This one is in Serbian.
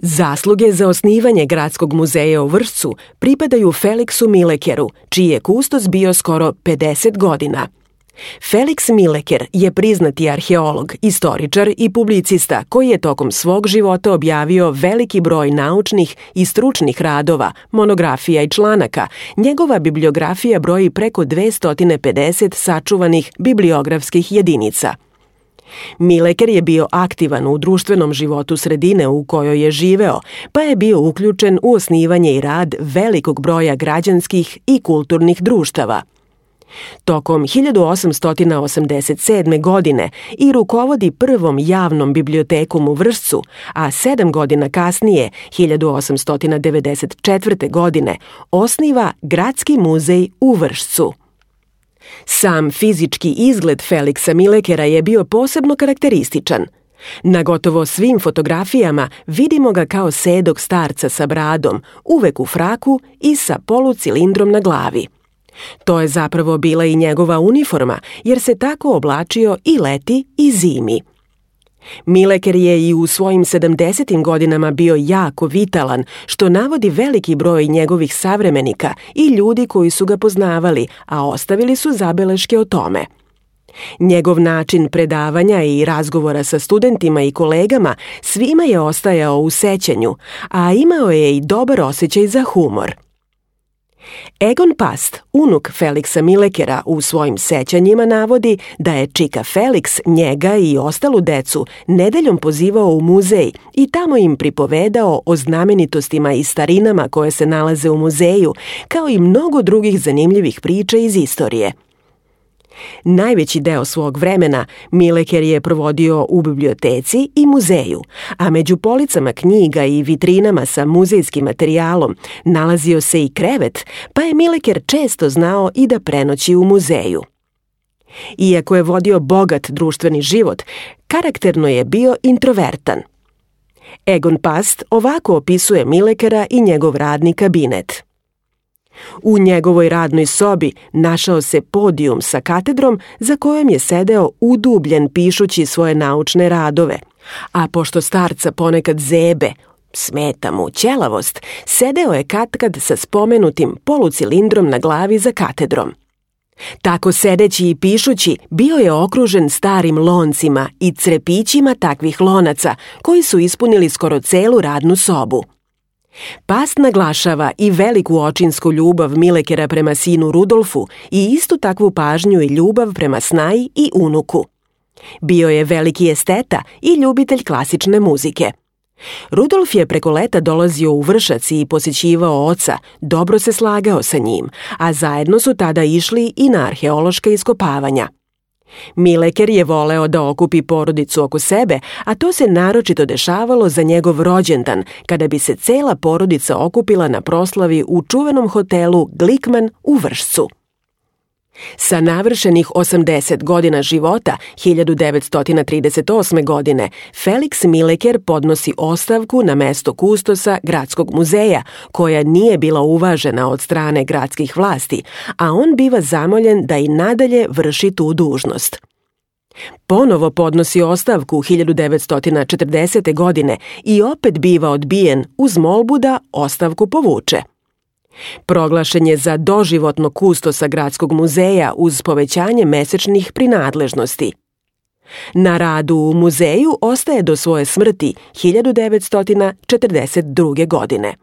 Zasluge za osnivanje Gradskog muzeja u Vršcu pripadaju Feliksu Milekeru, čiji je kustos bio skoro 50 godina. Feliks Mileker je priznati arheolog, istoričar i publicista koji je tokom svog života objavio veliki broj naučnih i stručnih radova, monografija i članaka. Njegova bibliografija broji preko 250 sačuvanih bibliografskih jedinica. Mileker je bio aktivan u društvenom životu sredine u kojoj je živeo, pa je bio uključen u osnivanje i rad velikog broja građanskih i kulturnih društava. Tokom 1887. godine i rukovodi prvom javnom bibliotekom u Vršcu, a 7 godina kasnije, 1894. godine, osniva Gradski muzej u Vršcu. Sam fizički izgled Feliksa Milekera je bio posebno karakterističan. Na gotovo svim fotografijama vidimo ga kao sedog starca sa bradom, uvek u fraku i sa polucilindrom na glavi. To je zapravo bila i njegova uniforma, jer se tako oblačio i leti i zimi. Mileker je i u svojim 70. godinama bio jako vitalan, što navodi veliki broj njegovih savremenika i ljudi koji su ga poznavali, a ostavili su zabeleške o tome. Njegov način predavanja i razgovora sa studentima i kolegama svima je ostajao u sećanju, a imao je i dobar osjećaj za humor. Egon Past, unuk Feliksa Milekera, u svojim sećanjima navodi da je čika Feliks njega i ostalu decu nedeljom pozivao u muzej i tamo im pripovedao o znamenitostima i starinama koje se nalaze u muzeju, kao i mnogo drugih zanimljivih priča iz istorije. Najveći deo svog vremena Mileker je provodio u biblioteci i muzeju, a među policama knjiga i vitrinama sa muzejskim materijalom nalazio se i krevet, pa je Mileker često znao i da prenoći u muzeju. Iako je vodio bogat društveni život, karakterno je bio introvertan. Egon Past ovako opisuje Milekera i njegov radni kabinet. U njegovoj radnoj sobi našao se podijum sa katedrom za kojom je sedeo udubljen pišući svoje naučne radove, a pošto starca ponekad zebe, smeta mu ćelavost, sedeo je katkad sa spomenutim polucilindrom na glavi za katedrom. Tako sedeći i pišući bio je okružen starim loncima i crepićima takvih lonaca koji su ispunili skoro celu radnu sobu. Past naglašava i veliku očinsku ljubav Milekera prema sinu Rudolfu i istu takvu pažnju i ljubav prema snaji i unuku. Bio je veliki esteta i ljubitelj klasične muzike. Rudolf je preko leta dolazio u Vršac i posjećivao oca, dobro se slagao sa njim, a zajedno su tada išli i na arheološka iskopavanja. Mileker je voleo da okupi porodicu oko sebe, a to se naročito dešavalo za njegov rođendan, kada bi se cela porodica okupila na proslavi u čuvenom hotelu Glikman u Vršcu. Sa navršenih 80 godina života, 1938. godine, Feliks Mileker podnosi ostavku na mesto kustosa Gradskog muzeja, koja nije bila uvažena od strane gradskih vlasti, a on biva zamoljen da i nadalje vrši tu dužnost. Ponovo podnosi ostavku 1940. godine i opet biva odbijen uz molbu da ostavku povuče. Proglašen je za doživotno kustosa Gradskog muzeja uz povećanje mesečnih prinadležnosti. Na radu u muzeju ostaje do svoje smrti 1942. godine.